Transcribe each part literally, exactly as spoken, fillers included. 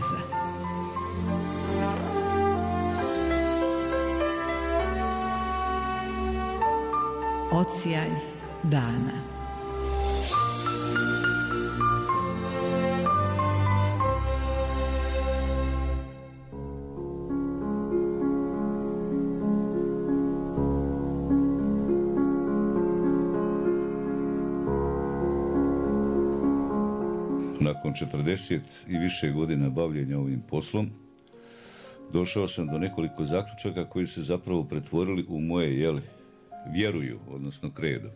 Kneza. Odsjaj dana. Nakon četrdeset i više godina bavljenja ovim poslom, došao sam do nekoliko zaključaka koji se zapravo pretvorili u moje, jeli, vjeruju, odnosno kredo.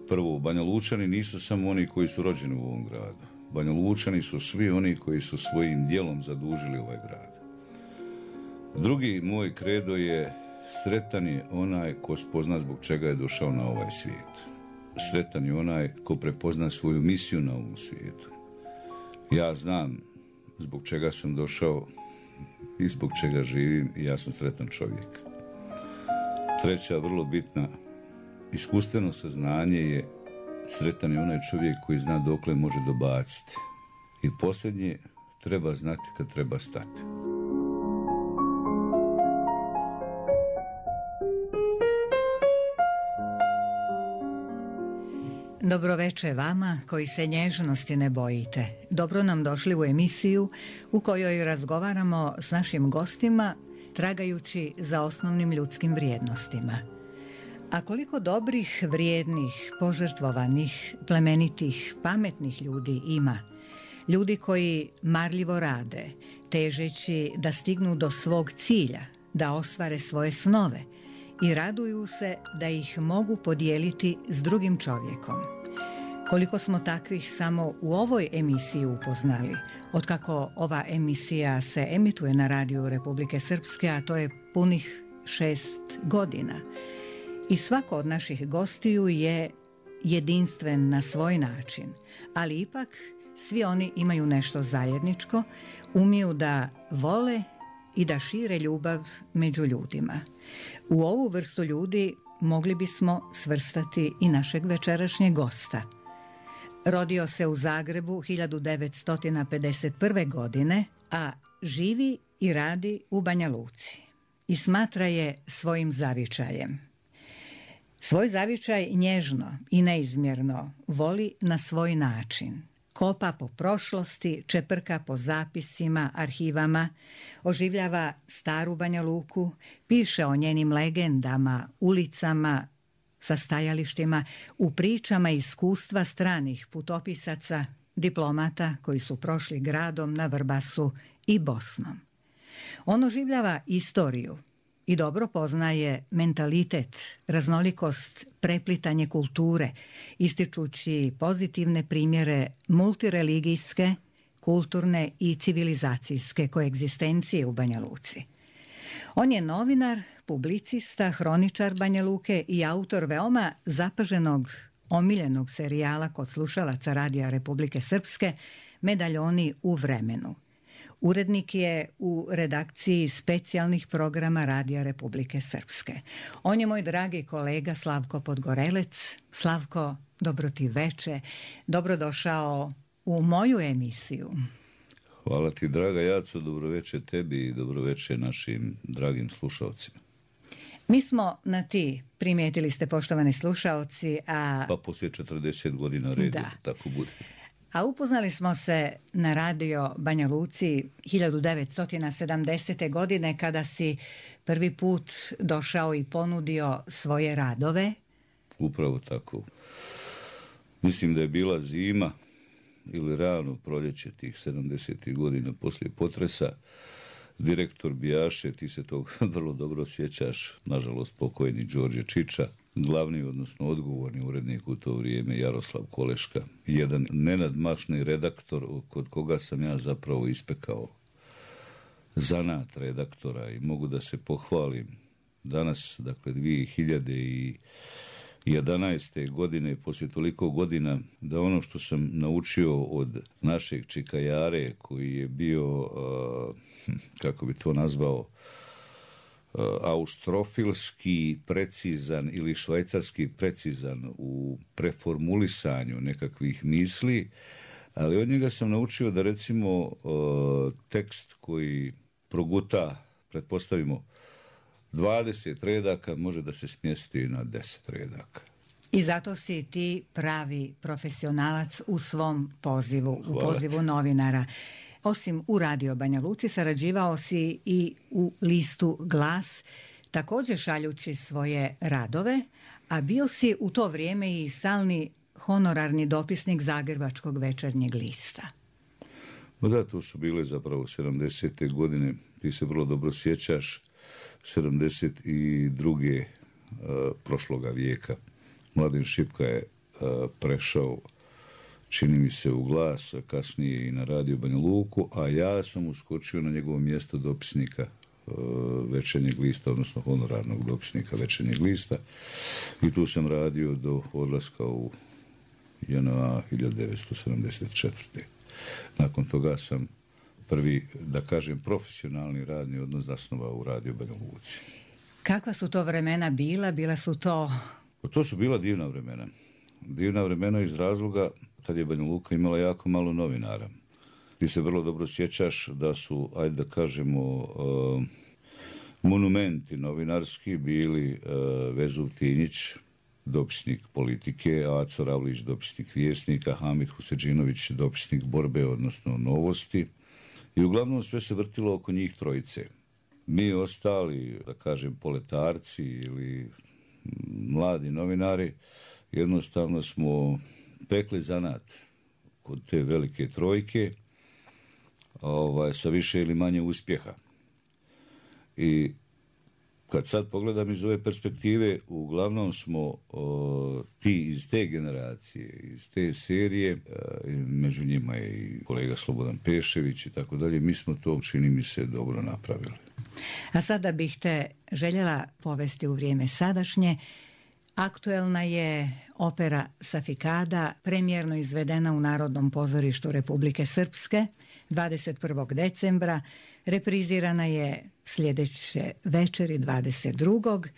Prvo, Banja Lučani nisu samo oni koji su rođeni u ovom gradu. Banja Lučani su svi oni koji su svojim djelom zadužili ovaj grad. Drugi moj kredo je: sretan je onaj ko spozna zbog čega je došao na ovaj svijet. Sretan je onaj ko prepozna svoju misiju na ovom svijetu. Ja znam zbog čega sam došao i zbog čega živim i ja sam sretan čovjek. Treća, vrlo bitna, iskustveno saznanje je: sretan je onaj čovjek koji zna dokle može dobaciti. I posljednje, treba znati kad treba stati. Dobroveče vama koji se nježnosti ne bojite. Dobro nam došli u emisiju u kojoj razgovaramo s našim gostima tragajući za osnovnim ljudskim vrijednostima. A koliko dobrih, vrijednih, požrtvovanih, plemenitih, pametnih ljudi ima. Ljudi koji marljivo rade, težeći da stignu do svog cilja, da ostvare svoje snove i raduju se da ih mogu podijeliti s drugim čovjekom. Koliko smo takvih samo u ovoj emisiji upoznali, otkako ova emisija se emituje na radiju Republike Srpske, a to je punih šest godina. I svako od naših gostiju je jedinstven na svoj način, ali ipak svi oni imaju nešto zajedničko, umiju da vole i da šire ljubav među ljudima. U ovu vrstu ljudi mogli bismo svrstati i našeg večerašnjeg gosta. Rodio se u Zagrebu hiljadu devetsto pedeset prve. godine, a živi i radi u Banja Luci i smatra je svojim zavičajem. Svoj zavičaj nježno i neizmjerno voli na svoj način. Kopa po prošlosti, čeprka po zapisima, arhivama, oživljava staru Banja Luku, piše o njenim legendama, ulicama, sa stajalištima, u pričama iskustva stranih putopisaca, diplomata koji su prošli gradom na Vrbasu i Bosnom. On oživljava istoriju i dobro poznaje mentalitet, raznolikost, preplitanje kulture, ističući pozitivne primjere multireligijske, kulturne i civilizacijske koegzistencije u Banja Luci. On je novinar, publicista, hroničar Banja Luke i autor veoma zapaženog, omiljenog serijala kod slušalaca Radija Republike Srpske Medaljoni u vremenu. Urednik je u redakciji specijalnih programa Radija Republike Srpske. On je moj dragi kolega Slavko Podgorelec. Slavko, dobro ti veče, dobrodošao u moju emisiju. Hvala ti, draga Jaco, dobroveče tebi i dobroveče našim dragim slušalcima. Mi smo na ti, primijetili ste, poštovani slušalci, a... Pa poslije četrdeset godina redi, tako bude. A upoznali smo se na radio Banja Luci hiljadu devetsto sedamdesete. godine kada si prvi put došao i ponudio svoje radove. Upravo tako. Mislim da je bila zima ili rano proljeće tih sedamdesetih godina poslije potresa. Direktor Bijaše, ti se tog vrlo dobro sjećaš, nažalost pokojni Đorđe Čiča, glavni, odnosno odgovorni urednik u to vrijeme Jaroslav Koleška, jedan nenadmašni redaktor kod koga sam ja zapravo ispekao zanat redaktora i mogu da se pohvalim danas, dakle dvije hiljade jedanaeste. godine, poslije toliko godina, da ono što sam naučio od našeg čikajare koji je bio, uh, kako bi to nazvao, uh, austrofilski precizan ili švajcarski precizan u preformulisanju nekakvih misli, Ali od njega sam naučio da recimo tekst koji proguta, pretpostavimo, dvadeset redaka može da se smjesti na deset redaka. I zato si ti pravi profesionalac u svom pozivu, u Hvala pozivu ti. novinara. Osim u Radio Banja Luci, sarađivao si i u listu Glas, također šaljući svoje radove, a bio si u to vrijeme i stalni honorarni dopisnik Zagrebačkog večernjeg lista. No da, to su bile zapravo sedamdesete godine, ti se vrlo dobro sjećaš, sedamdeset druge Uh, prošloga vijeka. Mladen Šipka je uh, prešao, čini mi se, u Glas, a kasnije i na Radio Banja Luku, a ja sam uskočio na njegovo mjesto dopisnika uh, večernjeg lista, odnosno honorarnog dopisnika večernjeg lista, i tu sam radio do odlaska u J N A hiljadu devetsto sedamdeset četvrte. Nakon toga sam prvi, da kažem, profesionalni radni odnos zasnovao u Radio Banja Luci. Kakva su to vremena bila? Bila su to... To su bila divna vremena. Divna vremena iz razloga tad je Banja Luka imala jako malo novinara. Ti se vrlo dobro sjećaš da su, ajde da kažemo, uh, monumenti novinarski bili uh, Vezov Tinjić, dopisnik Politike, Aco Ravlić, dopisnik Vjesnika, Hamid Huseđinović, dopisnik Borbe, odnosno Novosti. I uglavnom sve se vrtilo oko njih trojice. Mi ostali, da kažem, poletarci ili mladi novinari, jednostavno smo pekli zanat kod te velike trojke, ovaj, sa više ili manje uspjeha. I kad sad pogledam iz ove perspektive, uglavnom smo o, ti iz te generacije, iz te serije, a, među njima je i kolega Slobodan Pešević i tako dalje, mi smo to, čini mi se, dobro napravili. A sada bih te željela povesti u vrijeme sadašnje. Aktuelna je opera Safikada, premijerno izvedena u Narodnom pozorištu Republike Srpske dvadeset prvog decembra, reprizirana je sljedeće večeri dvadeset drugog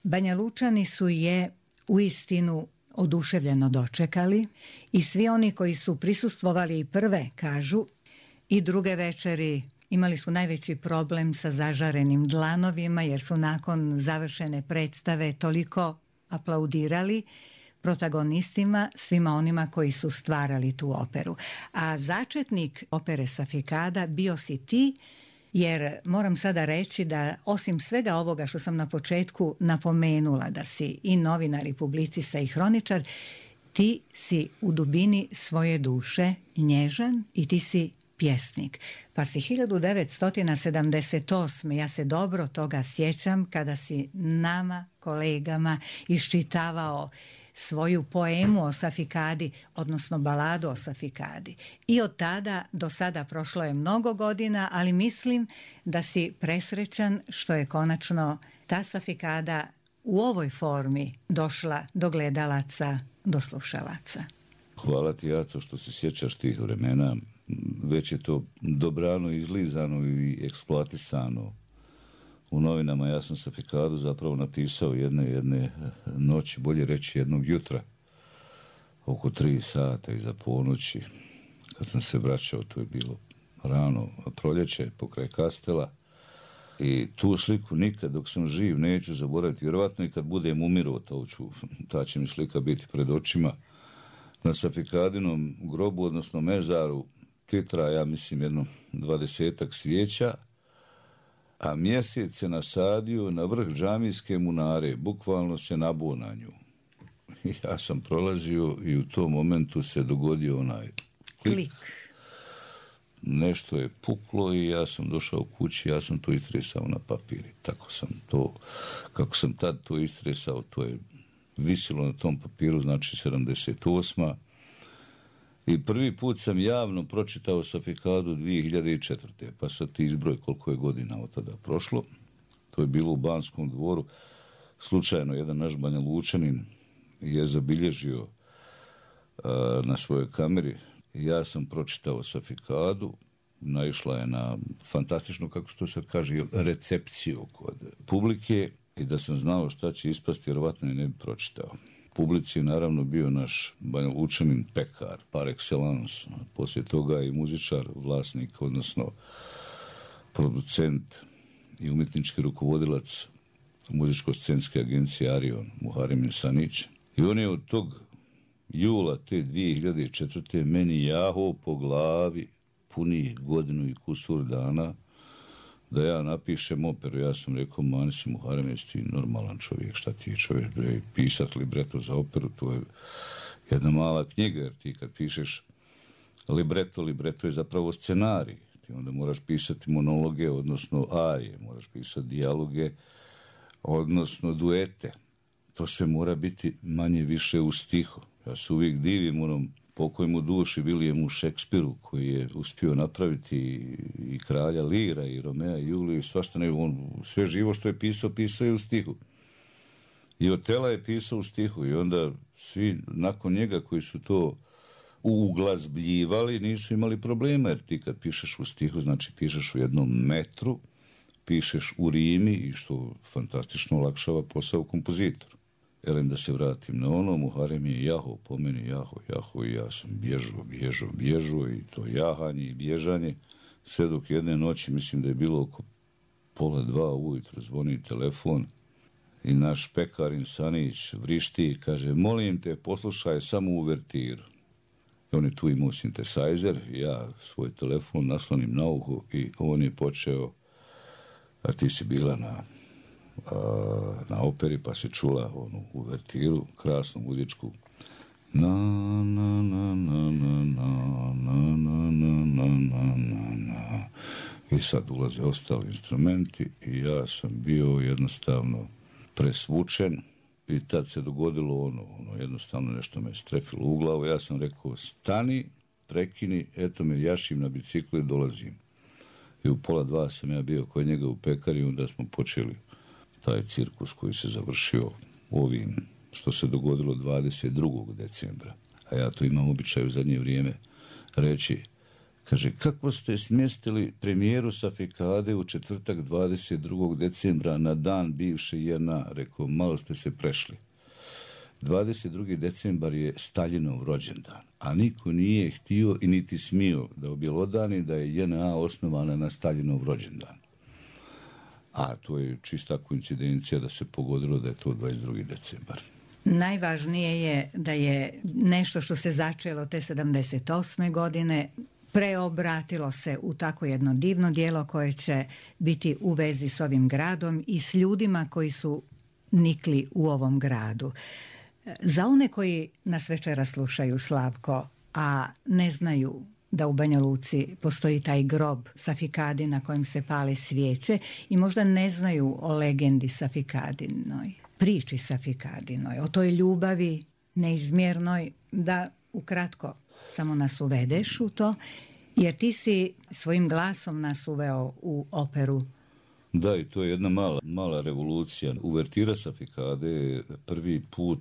Banja Lučani su je uistinu oduševljeno dočekali i svi oni koji su prisustvovali i prve, kažu, i druge večeri imali su najveći problem sa zažarenim dlanovima jer su nakon završene predstave toliko aplaudirali protagonistima, svima onima koji su stvarali tu operu. A začetnik opere Safikada bio si ti, jer moram sada reći da osim svega ovoga što sam na početku napomenula, da si i novinar i publicista i hroničar, ti si u dubini svoje duše nježan i ti si pjesnik. Pa si hiljadu devetsto sedamdeset osme ja se dobro toga sjećam, kada si nama, kolegama, iščitavao svoju poemu o Safikadi, odnosno baladu o Safikadi. I od tada do sada prošlo je mnogo godina, ali mislim da si presrećan što je konačno ta Safikada u ovoj formi došla do gledalaca, do slušalaca. Hvala ti, Jaco, što se sjećaš tih vremena. Već je to dobrano izlizano i eksploatisano u novinama. Ja sam Safikadu zapravo napisao jedne, jedne noći, bolje reći jednog jutra, oko tri sata iza ponoći. Kad sam se vraćao, to je bilo rano proljeće pokraj Kastela. I tu sliku nikad dok sam živ neću zaboraviti. Vjerovatno i kad budem umirao, to ću, ta će mi slika biti pred očima. Na Safikadinom grobu, odnosno mezaru, titra, ja mislim, jedno dvadesetak svijeća, a mjesec se nasadio na vrh džamijske munare, bukvalno se nabuo na nju. Ja sam prolazio i u tom momentu se dogodio onaj klik. Klik. Nešto je puklo i ja sam došao kući, ja sam to istresao na papir. Tako sam to, kako sam tad to istresao, to je visilo na tom papiru, znači sedamdeset osma I prvi put sam javno pročitao Safikadu dvije hiljade četvrte Pa sad ti izbroj koliko je godina od tada prošlo. To je bilo u Banskom dvoru. Slučajno jedan naš Banja Lučanin je zabilježio uh, na svojoj kameri. Ja sam pročitao Safikadu. Naišla je na fantastičnu, kako se to sad kaže, recepciju kod publike. I da sam znao šta će ispasti, vjerovatno je ne bi pročitao. publici je naravno bio naš Banja Lučanin pekar, par excellence, poslije toga i muzičar, vlasnik, odnosno producent i umjetnički rukovodilac muzičko-scenske agencije Arion, Muharem Sanić. I on je od tog jula te dvije hiljade četvrte meni jaho po glavi punih godinu i kusur dana da ja napišem operu. Ja sam rekao, mani si Muharem, jesi ti normalan čovjek, šta ti je čovjek, pisat libreto za operu, to je jedna mala knjiga, jer ti kad pišeš libreto, libreto je zapravo scenarij. Ti onda moraš pisati monologe, odnosno arije, moraš pisati dijaloge, odnosno duete. To sve mora biti manje više u stihu. Ja se uvijek divim onom pokojmu duši Williamu Shakespeareu koji je uspio napraviti i kralja Lira i Romea i Juliju i svašta ne, on sve živo što je pisao, pisao je u stihu. I Otela je pisao u stihu i onda svi nakon njega koji su to uglazbljivali nisu imali problema, jer ti kad pišeš u stihu, znači pišeš u jednom metru, pišeš u rimi i što fantastično olakšava posao kompozitoru. Elem da se vratim na ono, Muharem je jaho, po meni jaho, jaho i ja sam bježao, bježao, bježao i to jahanje i bježanje. Sve dok jedne noći, mislim da je bilo oko pola dva ujutro, zvoni telefon i naš pekarin Sanić vrišti i kaže, molim te, poslušaj samo uvertiru. I on je tu imao sintesajzer, ja svoj telefon naslonim na uho i on je počeo, a ti si bila na na operi, pa se čula onu uvertiru, krasnu muzičku. Na, na, na, na, na, na, na, na, na, na, na, na. I sad ulaze ostali instrumenti i ja sam bio jednostavno presvučen i tad se dogodilo ono, ono jednostavno nešto me strefilo u glavu. Ja sam rekao, stani, prekini, eto me jašim na biciklu i dolazim. I u pola dva sam ja bio kod njega u pekari, onda smo počeli taj cirkus koji se završio ovim, što se dogodilo dvadeset drugog decembra. A ja to imam običaj u zadnje vrijeme reći. Kaže, kako ste smjestili premijeru Safikade u četvrtak dvadeset drugog decembra na dan bivše J N A? Rekao, malo ste se prešli. dvadeset drugi decembar je Staljinov rođendan, a niko nije htio i niti smio da objelodani da je J N A osnovana na Staljinov rođendan. A to je čista koincidencija da se pogodilo da je to dvadeset drugi decembar. Najvažnije je da je nešto što se začelo te sedamdeset osme godine preobratilo se u tako jedno divno djelo koje će biti u vezi s ovim gradom i s ljudima koji su nikli u ovom gradu. Za one koji nas večeras slušaju, Slavko, a ne znaju da u Banja Luci postoji taj grob Safikadi na kojem se pale svijeće i možda ne znaju o legendi Safikadinoj, priči Safikadinoj, o toj ljubavi neizmjernoj, da ukratko samo nas uvedeš u to, jer ti si svojim glasom nas uveo u operu. Da, i to je jedna mala, mala revolucija. Uvertira Safikade je prvi put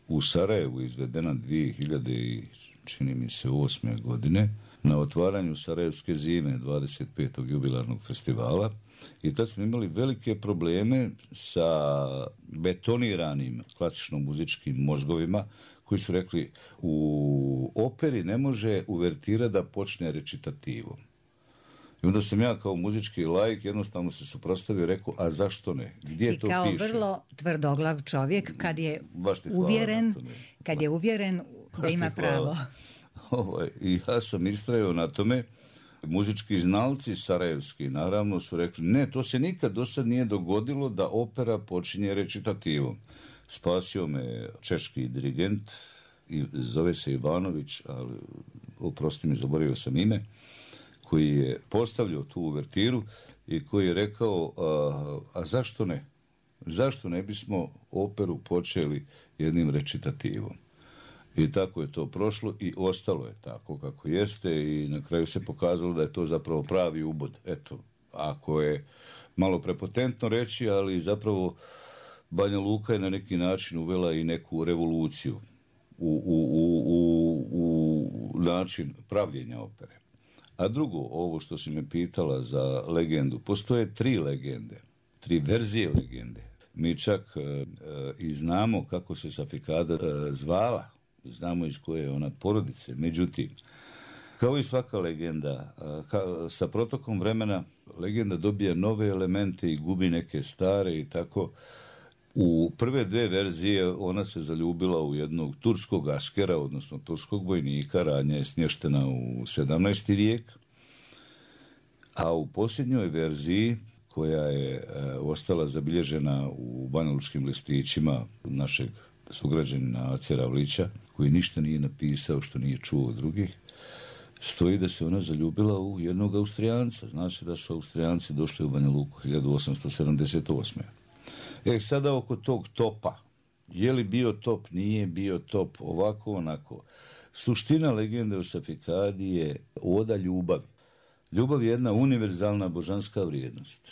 u Sarajevu izvedena dvije hiljade i čini mi se osme godine na otvaranju Sarajevske zime dvadeset petog jubilarnog festivala i tad smo imali velike probleme sa betoniranim klasično muzičkim mozgovima koji su rekli u operi ne može uvertira da počne recitativom. I onda sam ja kao muzički laik jednostavno se suprotstavio i rekao, a zašto ne? Gdje I to kao piše? vrlo tvrdoglav čovjek kad je uvjeren, kad je uvjeren da ima pravo. Ovaj, I ja sam istrajao na tome. Muzički znalci sarajevski naravno su rekli, ne, to se nikad do sad nije dogodilo da opera počinje recitativom. Spasio me češki dirigent, zove se Ivanović, ali oprosti mi, zaboravio sam ime, koji je postavljao tu uvertiru i koji je rekao, a, a zašto ne? Zašto ne bismo operu počeli jednim recitativom? I tako je to prošlo i ostalo je tako kako jeste i na kraju se pokazalo da je to zapravo pravi ubod. Eto, ako je malo prepotentno reći, ali zapravo Banja Luka je na neki način uvela i neku revoluciju u, u, u, u, u način pravljenja opere. A drugo, ovo što si me pitala za legendu, postoje tri legende, tri verzije legende. Mi čak e, i znamo kako se Safikada e, zvala, znamo iz koje je ona porodice. Međutim, kao i svaka legenda, e, ka, sa protokom vremena legenda dobija nove elemente i gubi neke stare i tako. U prve dve verzije ona se zaljubila u jednog turskog askera, odnosno turskog vojnika, radnja je smještena u sedamnaesti vijek, a u posljednjoj verziji, koja je e, ostala zabilježena u banjalučkim listićima našeg sugrađanina Ace Ravlića, koji ništa nije napisao što nije čuo od drugih, stoji da se ona zaljubila u jednog Austrijanca. Zna se da su Austrijanci došli u Banja Luku hiljadu osamsto sedamdeset osme. E, sada oko tog topa. Je li bio top, nije bio top, ovako, onako. Suština legende o Safikadi je oda ljubavi. Ljubav je jedna univerzalna božanska vrijednost.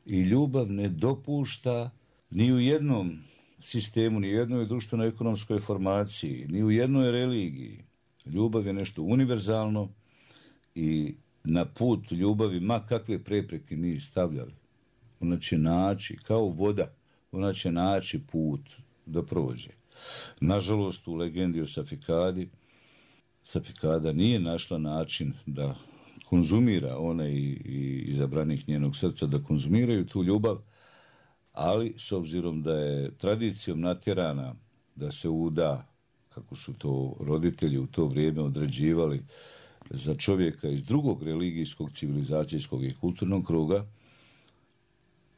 I ljubav ne dopušta ni u jednom sistemu, ni u jednoj društveno-ekonomskoj formaciji, ni u jednoj religiji. Ljubav je nešto univerzalno i na put ljubavi, ma kakve prepreke mi stavljali, ona će naći, kao voda, ona će naći put da prođe. Nažalost, u legendi o Safikadi, Safikada nije našla način da konzumira, ona i, i izabranih njenog srca, da konzumiraju tu ljubav, ali s obzirom da je tradicijom natjerana da se uda, kako su to roditelji u to vrijeme određivali, za čovjeka iz drugog religijskog, civilizacijskog i kulturnog kruga,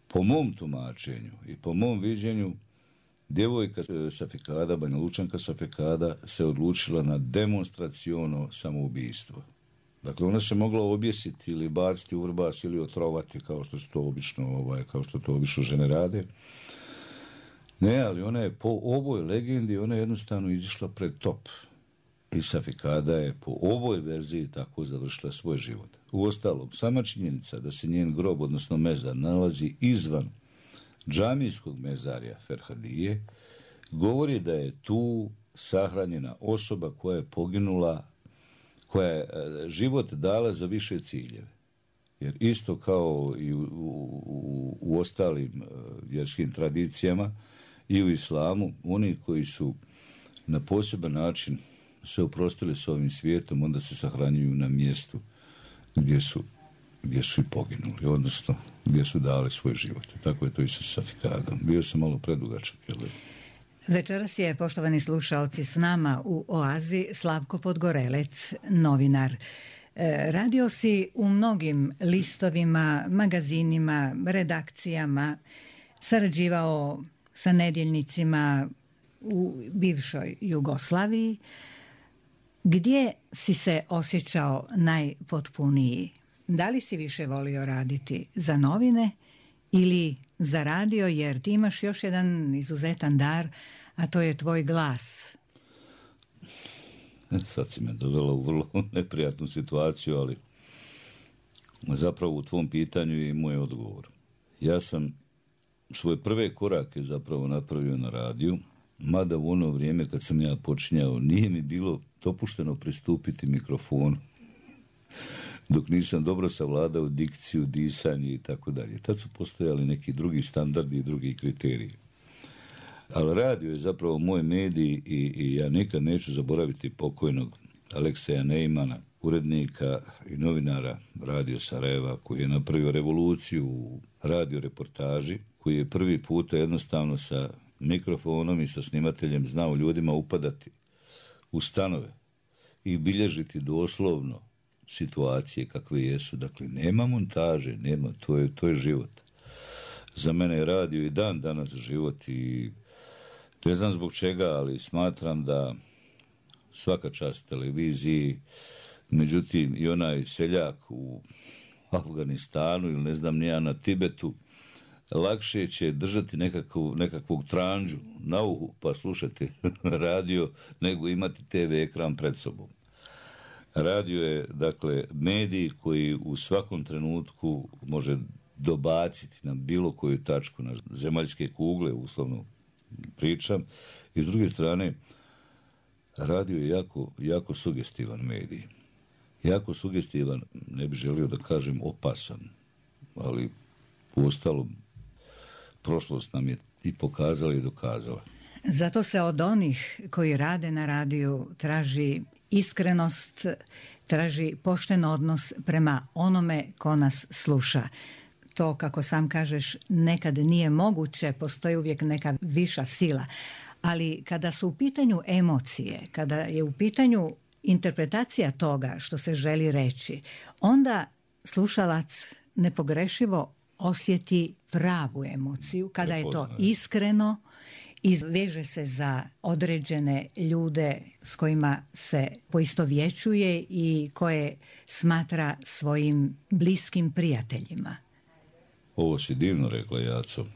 po mom tumačenju i po mom viđenju, djevojka Safikada, Banjalučanka Safikada, se odlučila na demonstraciono samoubistvo. Dakle, ona se mogla objesiti ili baciti u vrbas ili otrovati, kao što su to obično, ovaj, kao što to obično žene rade. Ne, ali ona je po ovoj legendi, ona je jednostavno izišla pred top. I Safikada je po ovoj verziji tako završila svoj život. Uostalom, sama činjenica da se njen grob, odnosno mezar, nalazi izvan džamijskog mezarja Ferhadije, govori da je tu sahranjena osoba koja je poginula, koja je život dala za više ciljeve. Jer isto kao i u, u, u ostalim vjerskim tradicijama i u islamu, oni koji su na poseban način se oprostili s ovim svijetom, onda se sahranjuju na mjestu gdje su, gdje su i poginuli, odnosno gdje su dali svoj život. Tako je to i sa Safikadom. Bio sam malo predugačak, jel? Večeras je, poštovani slušalci, s nama u Oazi Slavko Podgorelec, novinar. Radio si u mnogim listovima, magazinima, redakcijama, sarađivao sa nedjeljnicima u bivšoj Jugoslaviji. Gdje si se osjećao najpotpuniji? Da li si više volio raditi za novine ili za radio, jer ti imaš još jedan izuzetan dar, a to je tvoj glas? Sad si me dovela u vrlo neprijatnu situaciju, ali zapravo u tvom pitanju je i moj odgovor. Ja sam svoje prve korake zapravo napravio na radiju, mada u ono vrijeme kad sam ja počinjao nije mi bilo dopušteno pristupiti mikrofonu dok nisam dobro savladao dikciju, disanje i tako dalje. Tad su postojali neki drugi standardi i drugi kriteriji. Ali radio je zapravo moj medij i, i ja nikad neću zaboraviti pokojnog Alekseja Neimana, urednika i novinara Radio Sarajeva, koji je napravio revoluciju u radio reportaži, koji je prvi puta jednostavno sa mikrofonom i sa snimateljem znao ljudima upadati u stanove i bilježiti doslovno situacije kakve jesu. Dakle, nema montaže, nema, to je, to je život. Za mene je radio i dan danas život i ne znam zbog čega, ali smatram da svaka čast televiziji, međutim i onaj seljak u Afganistanu ili ne znam nija na Tibetu, lakše će držati nekakvu, nekakvog tranđu na uhu pa slušati radio nego imati te ve ekran pred sobom. Radio je, dakle, medij koji u svakom trenutku može dobaciti na bilo koju tačku na zemaljske kugle, uslovno pričam. I s druge strane, radio je jako, jako sugestivan medij. Jako sugestivan, ne bih želio da kažem opasan, ali uostalom prošlost nam je i pokazala i dokazala. Zato se od onih koji rade na radiju traži iskrenost, traži pošten odnos prema onome ko nas sluša. To, kako sam kažeš, nekad nije moguće, postoji uvijek neka viša sila. Ali kada su u pitanju emocije, kada je u pitanju interpretacija toga što se želi reći, onda slušalac nepogrešivo osjeti pravu emociju, kada je to iskreno, izveže se za određene ljude s kojima se poistovjećuje i koje smatra svojim bliskim prijateljima. Ovo si divno rekla, Jaco.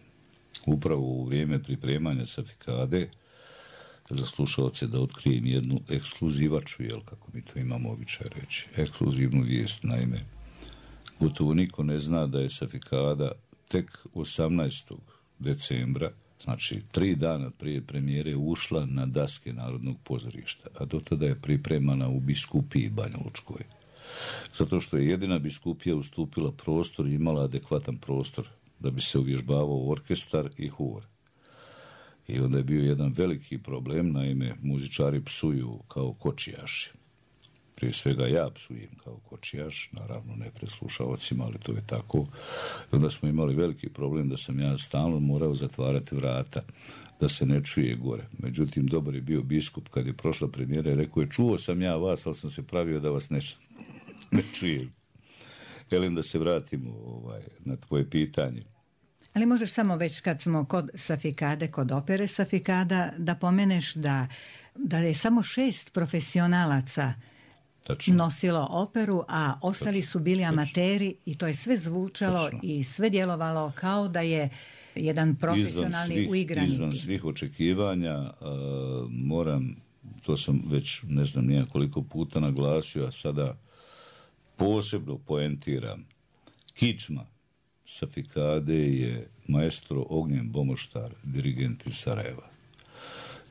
Upravo u vrijeme pripremanja Safikade, za slušalce da otkrijem jednu ekskluzivaču, jel, kako mi to imamo običaj reći, ekskluzivnu vijest. Naime, gotovo niko ne zna da je Safikada tek osamnaestog decembra, znači tri dana prije premijere, ušla na daske Narodnog pozorišta, a do tada je pripremana u biskupiji Banjalučkoj. Zato što je jedina biskupija ustupila prostor i imala adekvatan prostor da bi se uvježbavao orkestar i hor. I onda je bio jedan veliki problem, naime, muzičari psuju kao kočijaši. Prije svega ja psujem kao kočijaš, naravno ne pred slušalcima, ali to je tako. I onda smo imali veliki problem da sam ja stalno morao zatvarati vrata, da se ne čuje gore. Međutim, dobar je bio biskup kad je prošla premijera i rekao je, čuo sam ja vas, ali sam se pravio da vas ne, ne čujem. Želim da se vratimo ovaj, na tvoje pitanje. Ali možeš samo već kad smo kod Safikade, kod opere Safikada, da pomeneš da, da je samo šest profesionalaca Tačno. nosilo operu, a ostali Tačno. su bili Tačno. amateri i to je sve zvučalo Tačno. i sve djelovalo kao da je jedan profesionalni svih, uigranik. Izvan svih očekivanja, uh, moram, to sam već ne znam nijak koliko puta naglasio, a sada posebno poentiram. Kičma Safikade je maestro Ognjen Bomoštar, dirigent iz Sarajeva.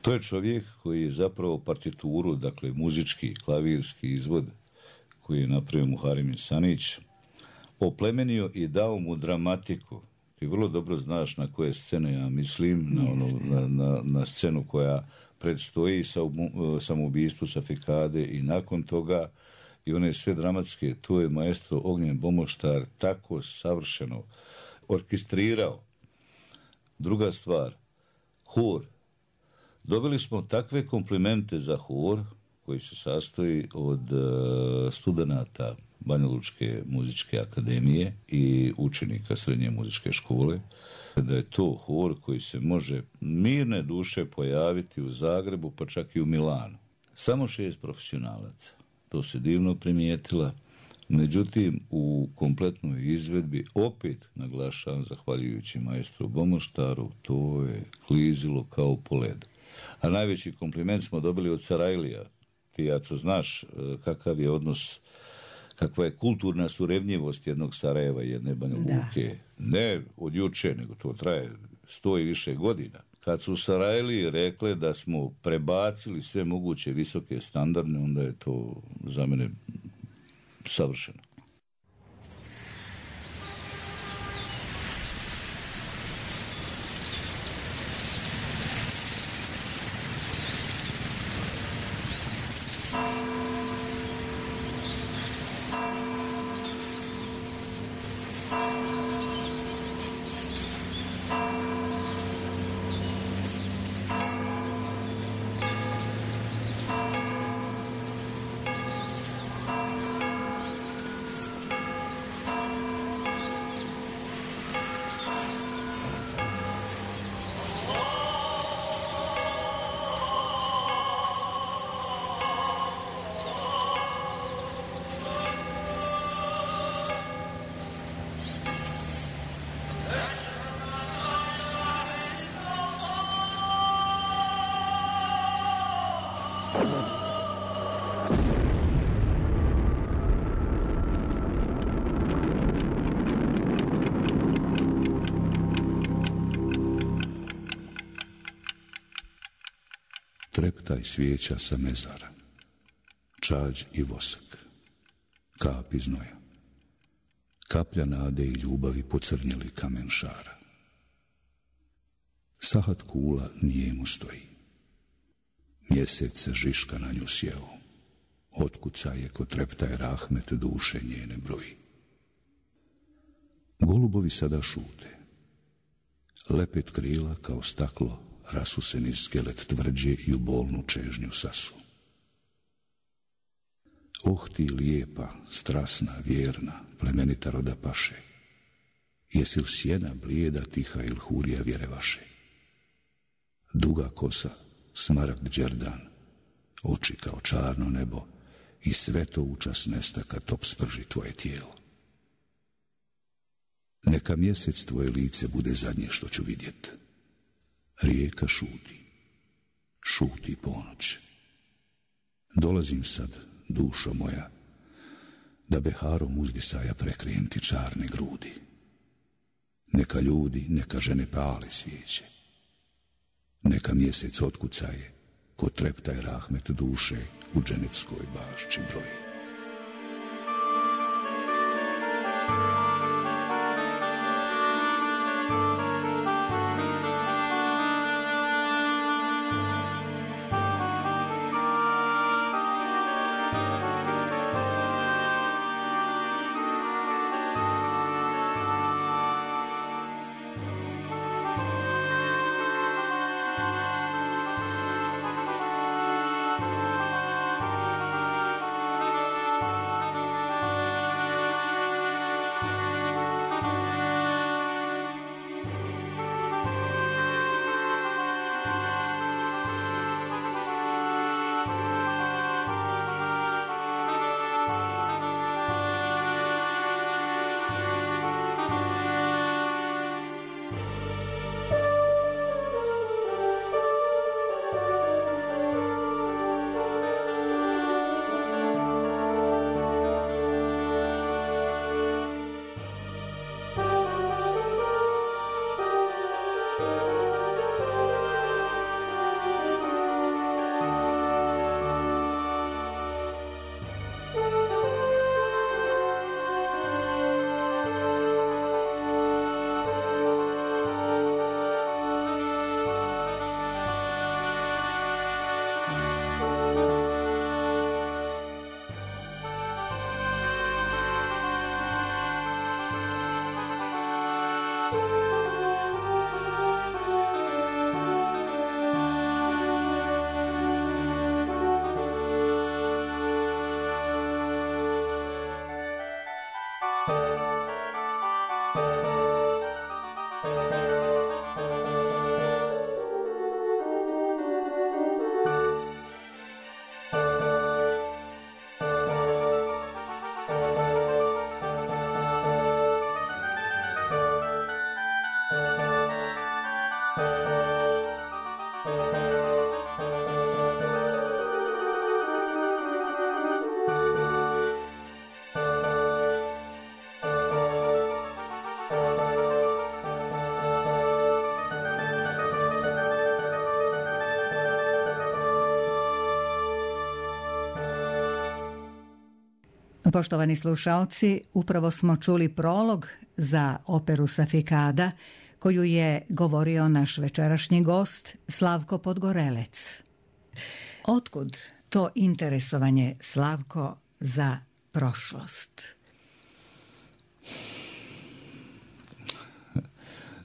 To je čovjek koji je zapravo partituru, dakle muzički, klavirski izvod koji je napravio Muharem Sanić, oplemenio i dao mu dramatiku. Ti vrlo dobro znaš na koje scene ja mislim, na, ono, na, na, na scenu koja predstoji samoubistvu Safikade i nakon toga i one sve dramatske, to je maestro Ognjen Bomoštar tako savršeno orkestrirao. Druga stvar, hor. Dobili smo takve komplimente za hor, koji se sastoji od uh, studenata Banjalučke muzičke akademije i učenika srednje muzičke škole, da je to hor koji se može mirne duše pojaviti u Zagrebu, pa čak i u Milanu. Samo šest profesionalaca. To se divno primijetila. Međutim, u kompletnoj izvedbi, opet naglašavam, zahvaljujući maestru Bomoštaru, to je klizilo kao po ledu. A najveći kompliment smo dobili od Sarajlija. Ti, Jaco, znaš kakav je odnos, kakva je kulturna surevnjivost jednog Sarajeva i jedne Banja Luke. Ne od juče, nego to traje sto i više godina. Kad su Sarajliji rekle da smo prebacili sve moguće visoke standarde, onda je to za mene savršeno. Treptaj svijeća sa mezara, čađ i vosak, kap iz znoja, kaplja nade i ljubavi pocrnjeli kamen šara. Sahat kula nijemu stoji. Mjesec se žiška na nju sjeo. Otkuca je ko treptaj rahmet duše njene broji. Golubovi sada šute. Lepet krila kao staklo rasuseni skelet tvrđe i u bolnu čežnju sasu. Oh ti lijepa, strasna, vjerna, plemenita roda paše. Jesi li sjena blijeda, tiha il hurija vjere vaše? Duga kosa, smaragd đerdan, oči kao čarno nebo i sve to učas nesta kad top sprži tvoje tijelo. Neka mjesec tvoje lice bude zadnje što ću vidjet. Rijeka šuti, šuti ponoć. Dolazim sad, dušo moja, da beharom uzdisaja prekrijem ti čarne grudi. Neka ljudi, neka žene pale svijeće. Neka mjesec otkucaje, ko treptaj rahmet duše u dženeckoj bašči broji. Poštovani slušaoci, upravo smo čuli prolog za operu Safikada, koju je govorio naš večerašnji gost Slavko Podgorelec. Otkud to interesovanje, Slavko, za prošlost?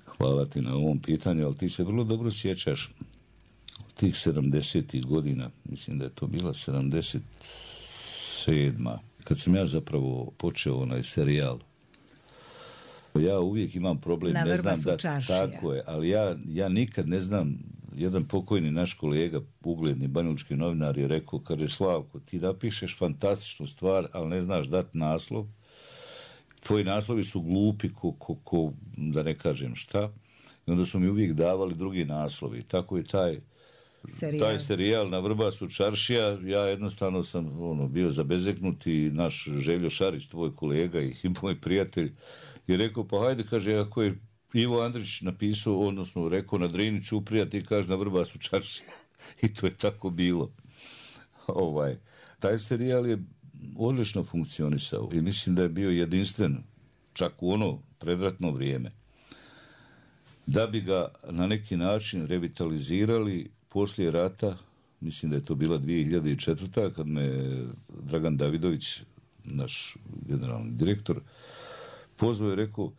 Hvala ti na ovom pitanju, ali ti se vrlo dobro sjećaš tih sedamdesetih godina, mislim da je to bila sedamdeset sedma, kad sam ja zapravo počeo onaj serijal. Ja uvijek imam problem, Na ne vrba znam da čaršija. Tako je, ali ja, ja nikad ne znam, jedan pokojni naš kolega, ugledni banjalučki novinar je rekao, kaže, Slavko, ti napišeš fantastičnu stvar, ali ne znaš dati naslov. Tvoji naslovi su glupi, ko, ko, ko, da ne kažem šta. I onda su mi uvijek davali drugi naslovi. Tako je taj Serijal. taj serijal Na vrba su čaršija. Ja jednostavno sam ono, bio zabezeknut i naš Željo Šarić, tvoj kolega i moj prijatelj, je rekao, pa hajde, kaže, ako je Ivo Andrić napisao, odnosno rekao na Drini Ćuprija, ti kaže Na vrba su čaršija. I to je tako bilo. Ovaj, taj serijal je odlično funkcionisao i mislim da je bio jedinstven čak u ono predratno vrijeme. da bi ga na neki način revitalizirali poslije rata. Mislim da je to bila dvije hiljade četvrta. kad me Dragan Davidović, naš generalni direktor, pozvao i rekao,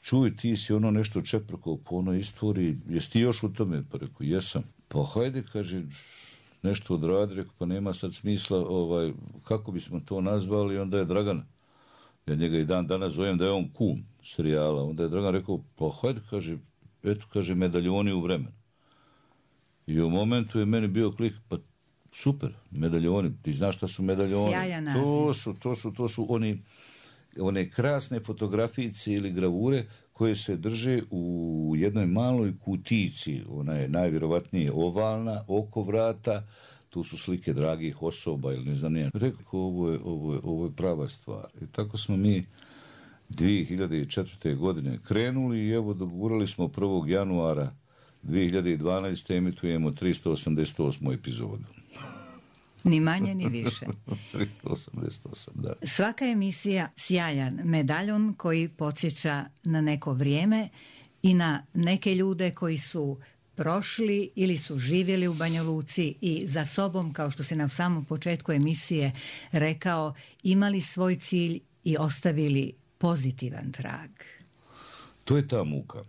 čuj, ti si ono nešto čeprkao po onoj istoriji, jesi ti još u tome? Pa rekao, jesam. Pa hajde, kaže, nešto odradi, rekao, pa nema sad smisla, ovaj, kako bismo to nazvali, onda je Dragan, ja njega i dan danas zovem da je on kum serijala, onda je Dragan rekao, pa hajde, kaže, eto, kaže, medaljoni u vremenu. I u momentu je meni bio klik, pa super, medaljoni, ti znaš šta su medaljoni? Sjajan naziv. To su, to su, to su oni, one krasne fotografijice ili gravure koje se drže u jednoj maloj kutici, ona je najvjerovatnije ovalna, oko vrata, tu su slike dragih osoba ili ne znam nije. Rekao, ovo je, ovo je, ovo je prava stvar. I tako smo mi dvije hiljade četvrte. godine krenuli i evo dogurali smo prvog januara dvije hiljade dvanaeste. emitujemo tristo osamdeset osmu epizodu. Ni manje ni više. tristo osamdeset osam, da. Svaka emisija sjajan medaljon koji podsjeća na neko vrijeme i na neke ljude koji su prošli ili su živjeli u Banja Luci i za sobom, kao što si na samom početku emisije rekao, imali svoj cilj i ostavili pozitivan trag. To je ta muka.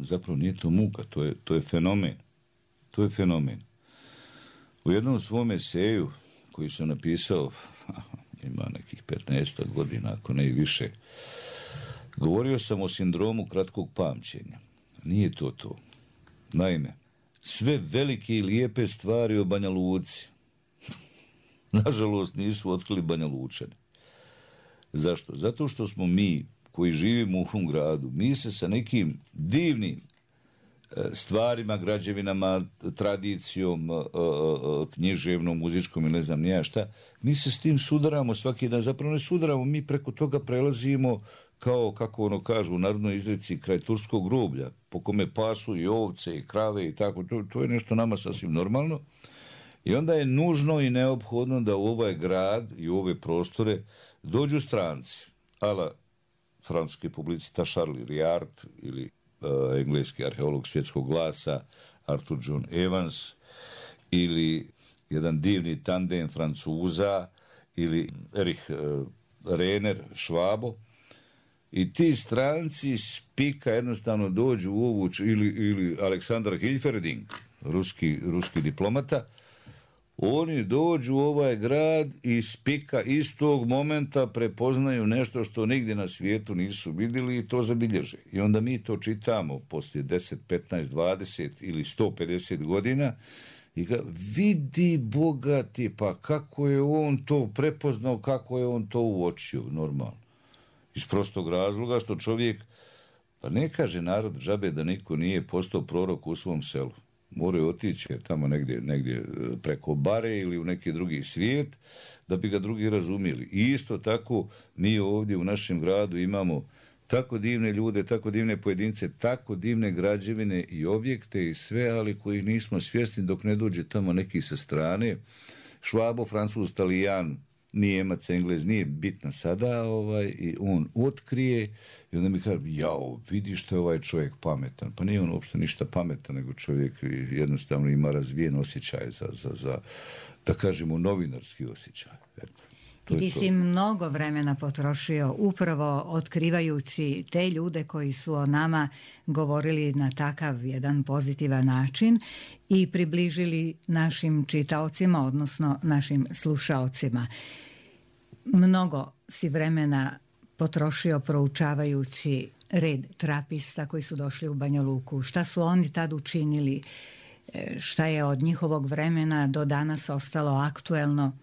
Zapravo nije to muka, to je, to je fenomen. To je fenomen. U jednom svom eseju koji sam napisao, ima nekih petnaest godina, ako ne i više, govorio sam o sindromu kratkog pamćenja. Nije to to. Naime, sve velike i lijepe stvari o Banja Luci, nažalost, nisu otkrili Banja Lučani. Zašto? Zato što smo mi, koji živimo u ovom gradu, mi se sa nekim divnim stvarima, građevinama, tradicijom, književnom, muzičkom i ne znam nija šta, mi se s tim sudaramo svaki dan. Zapravo ne sudaramo, mi preko toga prelazimo kao, kako ono kažu u narodnoj izreci, kraj turskog groblja, po kome pasu i ovce i krave i tako. To, to je nešto nama sasvim normalno. I onda je nužno i neophodno da u ovaj grad i u ove prostore dođu stranci, ala francuski publicista Charles Riard ili uh, engleski arheolog svjetskog glasa Arthur John Evans ili jedan divni tandem Francuza ili Erich uh, Renner Švabo. I ti stranci spika jednostavno dođu u ovu, ili, ili Aleksandar Hilferding, ruski, ruski diplomata, oni dođu u ovaj grad i spika istog momenta prepoznaju nešto što nigdje na svijetu nisu vidjeli i to zabilježe. I onda mi to čitamo poslije deset, petnaest, dvadeset ili sto pedeset godina i ga vidi bogati, pa kako je on to prepoznao, kako je on to uočio, normalno. Iz prostog razloga što čovjek, pa ne kaže narod džabe da niko nije postao prorok u svom selu. Moraju otići tamo negdje, negdje preko bare ili u neki drugi svijet da bi ga drugi razumjeli. I isto tako mi ovdje u našem gradu imamo tako divne ljude, tako divne pojedince, tako divne građevine i objekte i sve, ali koji nismo svjesni dok ne dođe tamo neki sa strane. Švabo, Francuz, Talijan, Nijemac, Englez, nije bitno sada, ovaj, i on otkrije i onda mi kaže, jao, vidi što je ovaj čovjek pametan. Pa nije on uopšte ništa pametan, nego čovjek jednostavno ima razvijen osjećaj za, za, za da kažemo, novinarski osjećaj. Eto. I ti si mnogo vremena potrošio upravo otkrivajući te ljude koji su o nama govorili na takav jedan pozitivan način i približili našim čitaocima, odnosno našim slušaocima. Mnogo si vremena potrošio proučavajući red trapista koji su došli u Banja Luku. Šta su oni tad učinili? Šta je od njihovog vremena do danas ostalo aktuelno?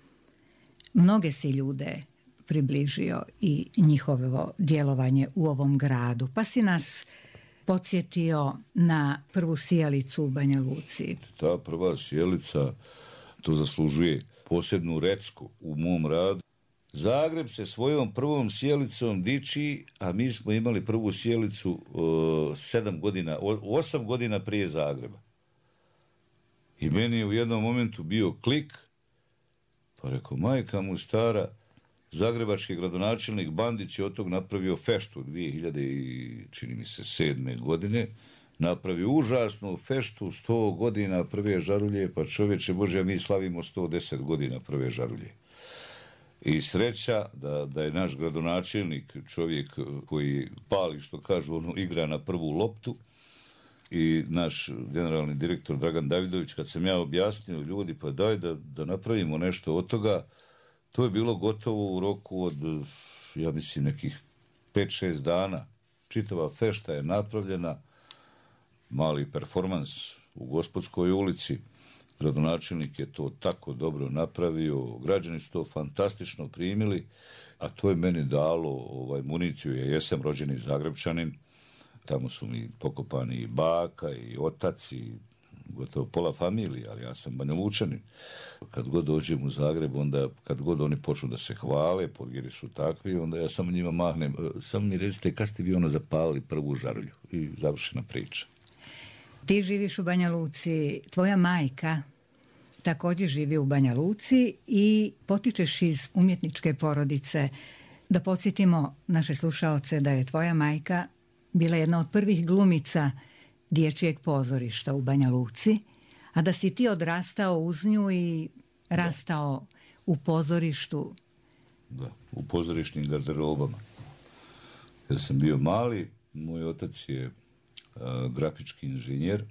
Mnoge si ljude približio i njihovo djelovanje u ovom gradu, pa si nas podsjetio na prvu sijalicu u Banja Luci. Ta prva sijalica, to zaslužuje posebnu recku u mom radu. Zagreb se svojom prvom sjelicom diči, a mi smo imali prvu sjelicu uh, sedam godina, osam godina prije Zagreba. I meni je u jednom momentu bio klik, pa rekao, majka mu stara, zagrebački gradonačelnik Bandić je od tog napravio feštu dvije hiljade sedme godine. Napravio užasnu feštu, sto godina prve žarulje, pa čovječe Bože, mi slavimo sto deset godina prve žarulje. I sreća da, da je naš gradonačelnik čovjek koji pali, što kažu, ono, igra na prvu loptu, i naš generalni direktor Dragan Davidović, kad sam ja objasnio, ljudi, pa daj da, da napravimo nešto od toga, to je bilo gotovo u roku od, ja mislim, nekih pet šest dana. Čitava fešta je napravljena, mali performans u Gospodskoj ulici, gradonačelnik je to tako dobro napravio, građani su to fantastično primili, a to je meni dalo ovaj, municiju, ja jesam rođeni Zagrebčanin, tamo su mi pokopani i baka i otac i gotovo pola familije, ali ja sam Banjalučanin. Kad god dođem u Zagreb, onda kad god oni počnu da se hvale, podgiri su takvi, onda ja samo njima mahnem, samo mi recite kad ste vi ono zapalili prvu žarulju i završena priča. Ti živiš u Banja Luci, tvoja majka također živi u Banja Luci i potičeš iz umjetničke porodice. Da podsjetimo naše slušaoce da je tvoja majka bila jedna od prvih glumica dječjeg pozorišta u Banja Luci, a da si ti odrastao uz nju i rastao da. u pozorištu. Da, u pozorišnim garderobama. Jer sam bio mali, moj otac je a, grafički inženjer.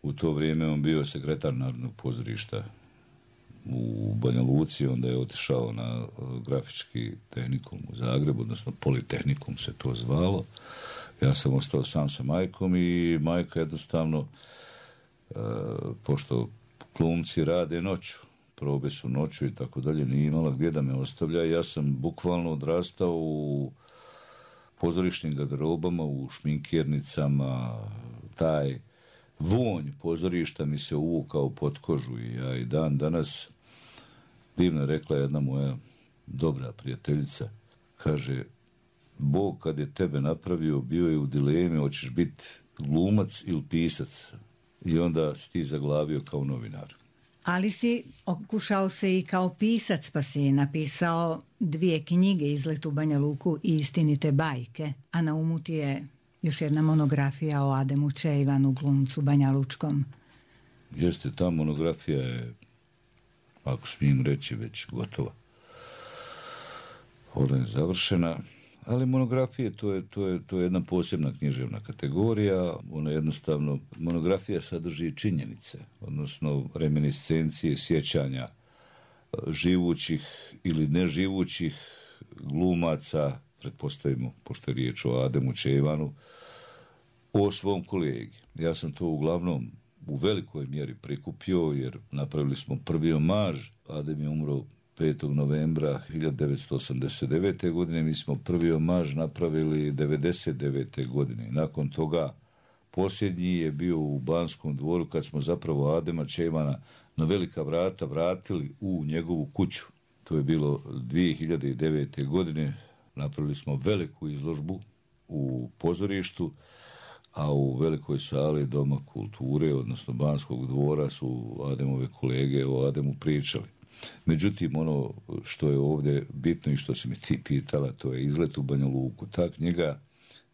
U to vrijeme on bio sekretar Narodnog pozorišta u Banja Luci, onda je otišao na a, grafički tehnikum u Zagrebu, odnosno Politehnikum se to zvalo. Ja sam ostao sam sa majkom i majka jednostavno, e, pošto glumci rade noću, probe su noću i tako dalje, nije imala gdje da me ostavlja. Ja sam bukvalno odrastao u pozorišnim garderobama, u šminkirnicama, taj vonj pozorišta mi se uvukao pod kožu i ja i dan danas, divno rekla jedna moja dobra prijateljica, kaže, Bog kad je tebe napravio, bio je u dilemi, hoćeš biti glumac ili pisac. I onda si ti zaglavio kao novinar. Ali si okušao se i kao pisac, pa si napisao dvije knjige, Izlet u Banja Luku i Istinite bajke. A na umu ti je još jedna monografija o Ademu Čejvanu, glumcu banjalučkom. Jeste, ta monografija je, ako smijem reći, već gotova. Ona je završena. Ali monografije, to je, to, je, to je jedna posebna književna kategorija. Ona jednostavno, monografija sadrži činjenice, odnosno reminiscencije, sjećanja živućih ili neživućih glumaca, pretpostavimo, pošto je riječ o Ademu Čejvanu, o svom kolegi. Ja sam to uglavnom u velikoj mjeri prikupio, jer napravili smo prvi omaž. Adem je umro petog novembra hiljadu devetsto osamdeset devete. godine, mi smo prvi omaž napravili devedeset devete. godine. Nakon toga posljednji je bio u Banskom dvoru kad smo zapravo Adema Čejvana na velika vrata vratili u njegovu kuću. To je bilo dvije hiljade devete. godine. Napravili smo veliku izložbu u pozorištu, a u velikoj sali Doma kulture, odnosno Banskog dvora, su Ademove kolege o Ademu pričali. Međutim, ono što je ovdje bitno i što si mi ti pitala, to je Izlet u Banja Luku. Ta knjiga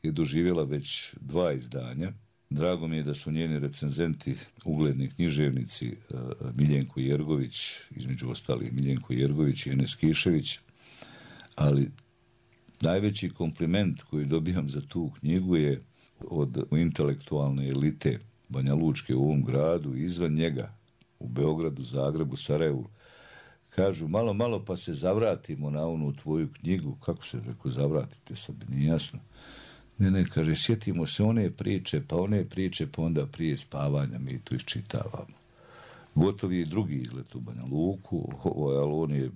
je doživjela već dva izdanja. Drago mi je da su njeni recenzenti, ugledni književnici Miljenko Jergović, između ostalih Miljenko Jergović i Enes Kišević, ali najveći kompliment koji dobijam za tu knjigu je od intelektualne elite Banja Lučke u ovom gradu i izvan njega, u Beogradu, Zagrebu, Sarajevu. Kažu, malo, malo pa se zavratimo na onu tvoju knjigu. Kako se reko zavratite, sad nije jasno. Ne, ne, kaže, sjetimo se one priče, pa one priče, pa onda prije spavanja mi tu iščitavamo. Gotov je i drugi Izlet u Banja Luku, ali on je,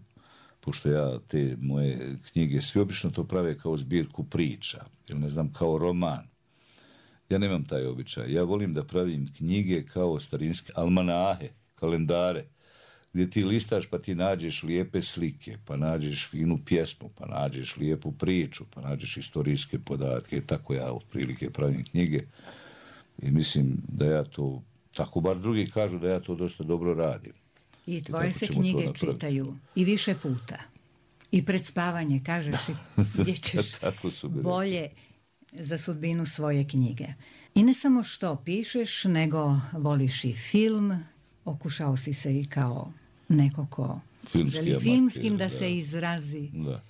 pošto ja te moje knjige, svi obično to prave kao zbirku priča, ili ne znam, kao roman. Ja nemam taj običaj. Ja volim da pravim knjige kao starinske almanahe, kalendare, gdje ti listaš pa ti nađeš lijepe slike, pa nađeš finu pjesmu, pa nađeš lijepu priču, pa nađeš istorijske podatke. Tako ja otprilike pravim knjige i mislim da ja to, tako bar drugi kažu da ja to dosta dobro radim. I tvoje I se knjige čitaju i više puta. I pred spavanje, kažeš, gdje ćeš Tako su bili. bolje za sudbinu svoje knjige. I ne samo što pišeš, nego voliš i film, okušao si se i kao neko ko Filmski želi amater, filmskim da, da se izrazi. Da.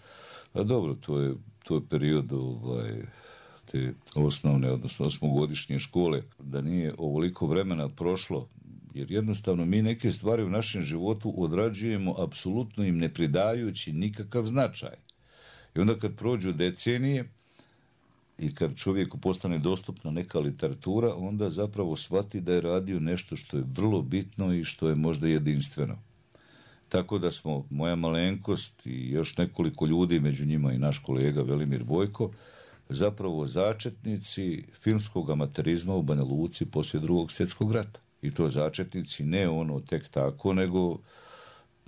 A dobro, to je, to je period ovaj, te osnovne, odnosno osmogodišnje škole, da nije ovoliko vremena prošlo, jer jednostavno mi neke stvari u našem životu odrađujemo apsolutno im ne pridajući nikakav značaj. I onda kad prođu decenije i kad čovjeku postane dostupna neka literatura, onda zapravo shvati da je radio nešto što je vrlo bitno i što je možda jedinstveno. Tako da smo, moja malenkost i još nekoliko ljudi, među njima i naš kolega Velimir Bojko, zapravo začetnici filmskog amaterizma u Banja Luci poslije Drugog svjetskog rata. I to začetnici ne ono tek tako, nego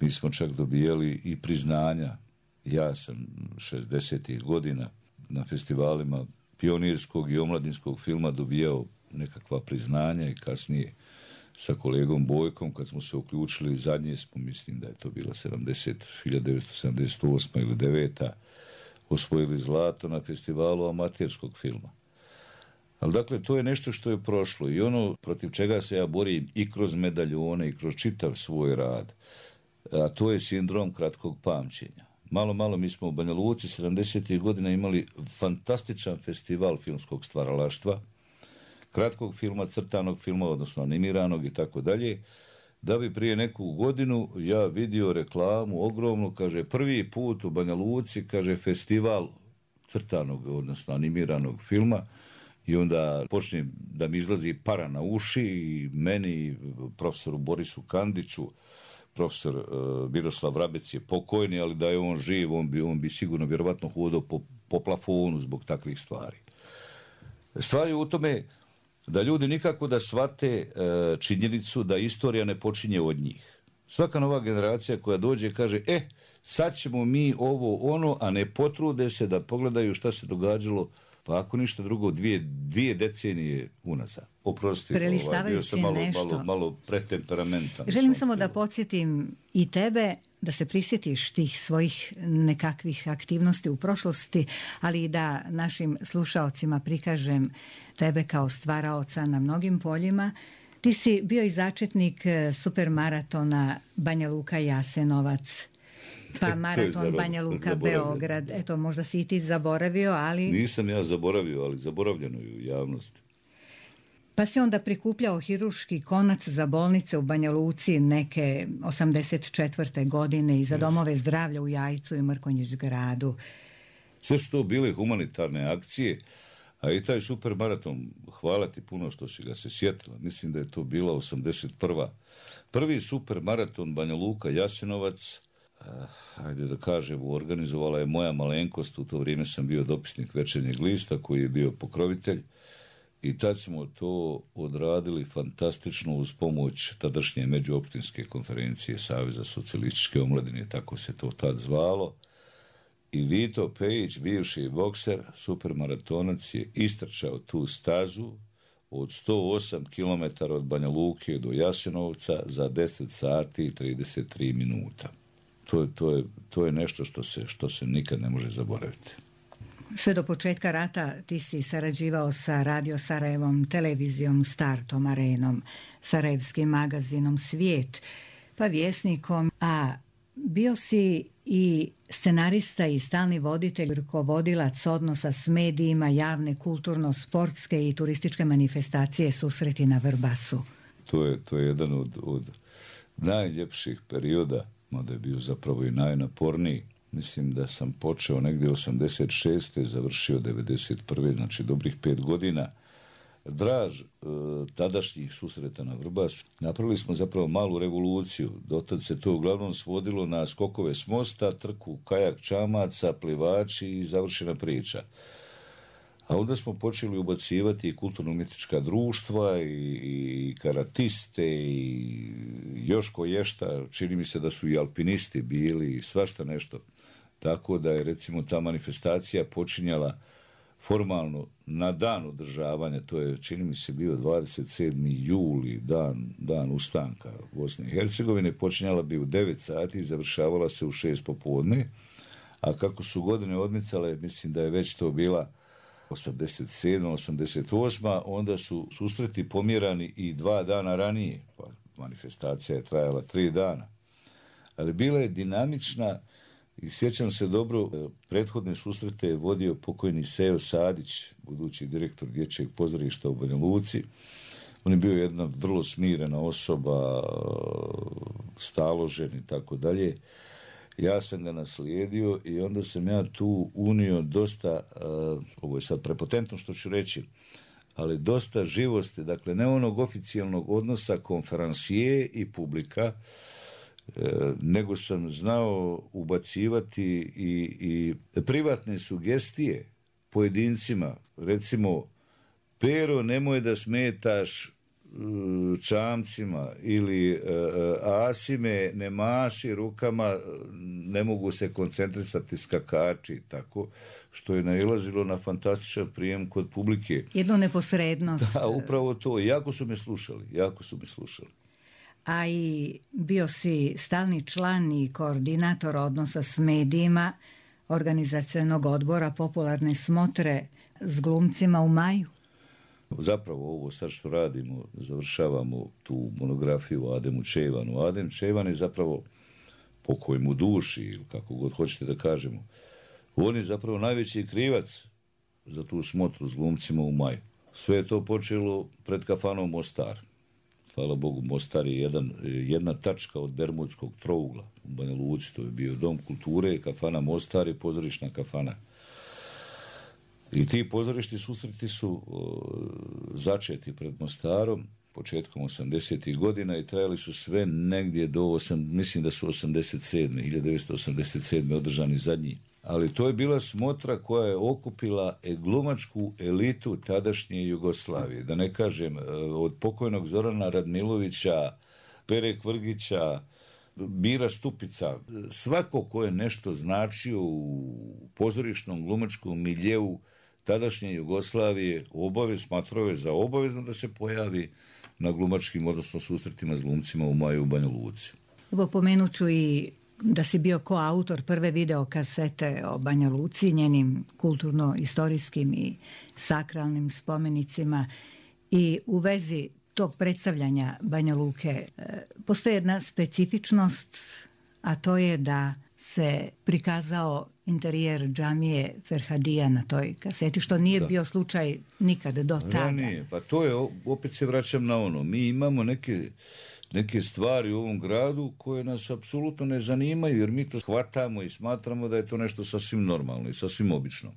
mi smo čak dobijali i priznanja. Ja sam šezdesetih godina na festivalima pionirskog i omladinskog filma dobijao nekakva priznanja i kasnije sa kolegom Bojkom, kad smo se uključili, zadnje smo, mislim da je to bila hiljadu devetsto sedamdeset osma ili deveta, osvojili zlato na festivalu amaterskog filma. Ali dakle, to je nešto što je prošlo i ono protiv čega se ja borim i kroz medaljone i kroz čitav svoj rad, a to je sindrom kratkog pamćenja. Malo, malo mi smo u Banja Luci sedamdesetih godina imali fantastičan festival filmskog stvaralaštva, kratkog filma, crtanog filma, odnosno animiranog i tako dalje, da bi prije neku godinu ja vidio reklamu ogromnu, kaže, prvi put u Banja Luci, kaže, festival crtanog, odnosno animiranog filma, i onda počne da mi izlazi para na uši i meni, profesoru Borisu Kandiću, profesor uh, Miroslav Vrabec je pokojni, ali da je on živ, on bi, on bi sigurno vjerovatno hodao po, po plafonu zbog takvih stvari. Stvar je u tome da ljudi nikako da shvate uh, činjenicu da istorija ne počinje od njih. Svaka nova generacija koja dođe kaže, e, sad ćemo mi ovo ono, a ne potrude se da pogledaju šta se događalo, pa ako ništa drugo, dvije, dvije decenije unazad. Oprosti, ovaj, bio sam malo, malo, malo pretemperamentan. Želim samo da podsjetim i tebe da se prisjetiš tih svojih nekakvih aktivnosti u prošlosti, ali i da našim slušaocima prikažem tebe kao stvaraoca na mnogim poljima. Ti si bio i začetnik supermaratona Banja Luka Jasenovac, pa maraton Banja Luka Beograd. Eto, možda si i ti zaboravio, ali... Nisam ja zaboravio, ali zaboravljeno je u javnosti. Pa si onda prikupljao hiruški konac za bolnice u Banja Luci neke osamdeset četvrte godine i za domove zdravlja u Jajcu i Mrkonjić gradu. Sve su to bile humanitarne akcije, a i taj supermaraton, hvala ti puno što si ga se sjetila. Mislim da je to bila osamdeset prva. Prvi supermaraton Banja Luka Jasenovac, ajde da kažem, organizovala je moja malenkost. U to vrijeme sam bio dopisnik Večernjeg lista koji je bio pokrovitelj i tad smo to odradili fantastično uz pomoć tadašnje međuopćinske konferencije Saveza socijalističke omladine, tako se to tad zvalo. I Vito Pejić, bivši bokser, supermaratonac, je istrčao tu stazu od sto osam kilometara od Banja Luke do Jasenovca za deset sati i trideset tri minuta. To, to, je, to je nešto što se, što se nikad ne može zaboraviti. Sve do početka rata ti si sarađivao sa Radio Sarajevom, televizijom Startom, Arenom, sarajevskim magazinom Svijet, pa Vjesnikom, a bio si i scenarista i stalni voditelj, rukovodilac odnosa s medijima, javne, kulturno-sportske i turističke manifestacije Susreti na Vrbasu. To je, to je jedan od, od najljepših perioda, mada je bio zapravo i najnaporniji. Mislim da sam počeo negdje osamdeset šeste završio devedeset prve znači dobrih pet godina. Draž e, tadašnjih Susreta na Vrbasu. Napravili smo zapravo malu revoluciju. Dotad se to uglavnom svodilo na skokove s mosta, trku kajak čamaca, plivači i završena priča. A onda smo počeli ubacivati i kulturno-umjetnička društva i, i karatiste i još koješta. Čini mi se da su i alpinisti bili i svašta nešto. Tako da je recimo ta manifestacija počinjala formalno na dan održavanja, to je čini mi se bio dvadeset sedmi juli, dan, dan ustanka Bosne i Hercegovine, počinjala bi u devet sati i završavala se u šest popodne, A kako su godine odmicale, mislim da je već to bila osamdeset sedma, osamdeset osma, onda su susreti pomjerani i dva dana ranije. Pa manifestacija je trajala tri dana. Ali bila je dinamična i sjećam se dobro, prethodne susrete je vodio pokojni Sejo Sadić, budući direktor Dječjeg pozorišta u Banja Luci. On je bio jedna vrlo smirena osoba, staložen i tako dalje. Ja sam ga naslijedio i onda sam ja tu unio dosta, uh, ovo je sad prepotentno što ću reći, ali dosta živosti, dakle ne onog oficijalnog odnosa konferansije i publika, uh, nego sam znao ubacivati i, i privatne sugestije pojedincima. Recimo, Pero, nemoj da smetaš čamcima ili uh, Asime, ne maši rukama, ne mogu se koncentrisati skakači, tako, što je nailazilo na fantastičan prijem kod publike. Jednu neposrednost. Da, upravo to. Jako su me slušali, jako su me slušali. A i bio si stalni član i koordinator odnosa s medijima organizacionog odbora Popularne smotre s glumcima u maju. Zapravo ovo sad što radimo, završavamo tu monografiju o Ademu Čejvanu. Adem Čejvan je zapravo, pokoj mu duši, ili kako god hoćete da kažemo, on je zapravo najveći krivac za tu smotru s glumcima u maju. Sve je to počelo pred kafanom Mostar. Hvala Bogu, Mostar je jedan, jedna tačka od Bermudskog trougla u Banja Luci. To je bio Dom kulture, kafana Mostar i pozorišna kafana. I ti pozorišti susreti su o, začeti pred Mostarom početkom osamdesetih godina i trajali su sve negdje do, osam, mislim da su osamdeset sedme, hiljadu devetsto osamdeset sedme održani zadnji. Ali to je bila smotra koja je okupila glumačku elitu tadašnje Jugoslavije. Da ne kažem, od pokojnog Zorana Radmilovića, Pere Kvrgića, Mira Stupica, svako ko je nešto značio u pozorišnom glumačkom miljeu tadašnje Jugoslavije, obavez, smatrao je za obavezno da se pojavi na glumačkim, odnosno susretima s glumcima u maju u Banja Luci. Evo, pomenut ću i da si bio koautor prve videokasete o Banja Luci, njenim kulturno-istorijskim i sakralnim spomenicima, i u vezi tog predstavljanja Banja Luke postoji jedna specifičnost, a to je da se prikazao interijer džamije Ferhadija na toj kaseti, što nije da. bio slučaj nikad do tada. Ja, nije. Pa to je, opet se vraćam na ono, mi imamo neke, neke stvari u ovom gradu koje nas apsolutno ne zanimaju, jer mi to shvatamo i smatramo da je to nešto sasvim normalno i sasvim obično.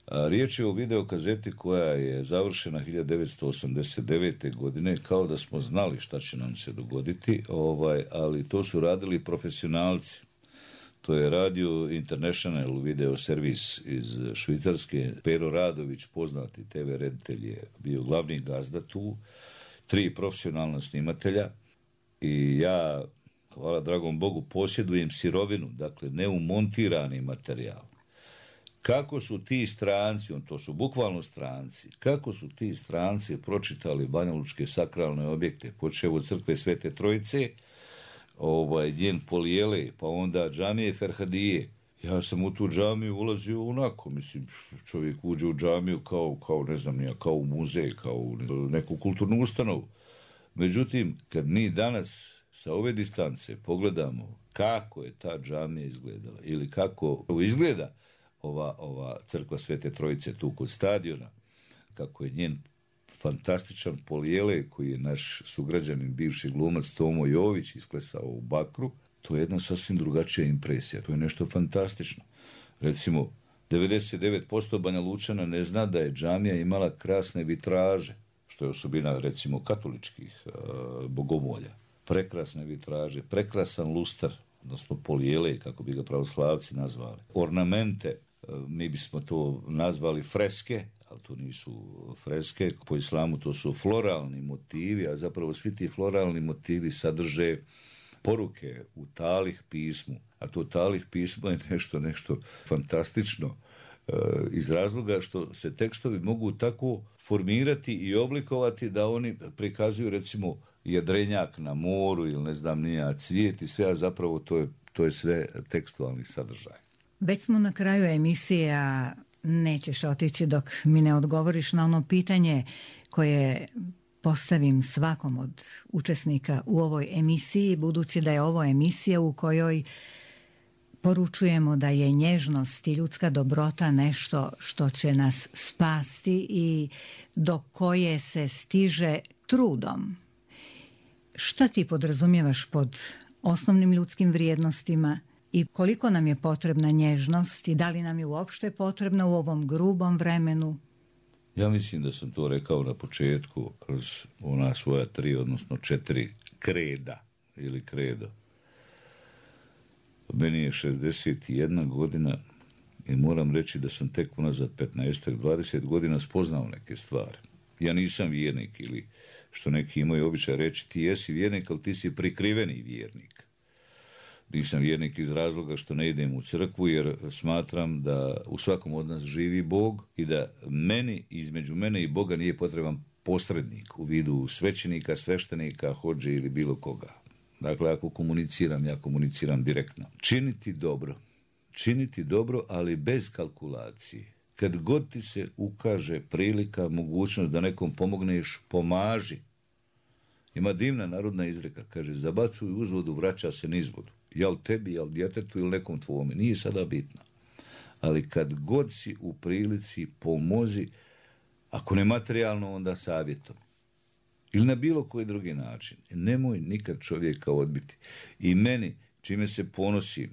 A riječ je o videokazeti koja je završena hiljadu devetsto osamdeset devete. godine, kao da smo znali šta će nam se dogoditi, ovaj, ali to su radili profesionalci. To je Radio International video servis iz Švicarske. Pero Radović, poznati te ve reditelj, je bio glavni gazda tu. Tri profesionalna snimatelja. I ja, hvala dragom Bogu, posjedujem sirovinu, dakle neumontirani materijal. Kako su ti stranci, on to su bukvalno stranci, kako su ti stranci pročitali banjalučke sakralne objekte, počev od crkve Svete Trojice, ovaj, njen Polijele, pa onda džamije Ferhadije. Ja sam u tu džamiju ulazio onako, mislim, čovjek uđe u džamiju kao, kao ne znam nija, kao u muzej, kao u neku kulturnu ustanovu. Međutim, kad mi danas sa ove distance pogledamo kako je ta džamija izgledala ili kako izgleda ova, ova crkva Svete Trojice tu kod stadiona, kako je njen fantastičan Polijele, koji je naš sugrađanin, bivši glumac Tomo Jović isklesao u bakru, to je jedna sasvim drugačija impresija. To je nešto fantastično. Recimo, devedeset devet posto Banja Lučana ne zna da je džamija imala krasne vitraže, što je osobina, recimo, katoličkih uh, bogomolja. Prekrasne vitraže, prekrasan lustar, odnosno Polijele, kako bi ga pravoslavci nazvali. Ornamente, uh, mi bismo to nazvali freske, ali to nisu freske. Po islamu to su floralni motivi, a zapravo svi ti floralni motivi sadrže poruke u talih pismu. A to talih pismo je nešto, nešto fantastično e, iz razloga što se tekstovi mogu tako formirati i oblikovati da oni prikazuju, recimo, jedrenjak na moru ili ne znam nija cvijet i sve, a zapravo to je, to je sve tekstualni sadržaj. Već smo na kraju emisije, a nećeš otići dok mi ne odgovoriš na ono pitanje koje postavim svakom od učesnika u ovoj emisiji, budući da je ovo emisija u kojoj poručujemo da je nježnost i ljudska dobrota nešto što će nas spasti i do koje se stiže trudom. Šta ti podrazumijevaš pod osnovnim ljudskim vrijednostima i koliko nam je potrebna nježnost i da li nam je uopšte potrebna u ovom grubom vremenu? Ja mislim da sam to rekao na početku kroz ona svoja tri, odnosno četiri kreda ili kredo. Meni je šezdeset jedna godina i moram reći da sam tek unazad petnaest do dvadeset godina spoznao neke stvari. Ja nisam vjernik ili što neki imaju običaj reći ti jesi vjernik, ali ti si prikriveni vjernik. Nisam vjernik iz razloga što ne idem u crkvu jer smatram da u svakom od nas živi Bog i da meni, između mene i Boga nije potreban posrednik u vidu svećenika, sveštenika, hodže ili bilo koga. Dakle, ako komuniciram, ja komuniciram direktno. Činiti dobro. Činiti dobro, ali bez kalkulacije. Kad god ti se ukaže prilika, mogućnost da nekom pomogneš, pomaži. Ima divna narodna izreka, kaže, zabacuj uzvodu, vraća se nizvodu. Jel tebi, jel djetetu ili nekom tvome. Nije sada bitno. Ali kad god si u prilici, pomozi, ako ne materijalno, onda savjetom. Ili na bilo koji drugi način. Nemoj nikad čovjeka odbiti. I meni, čime se ponosim,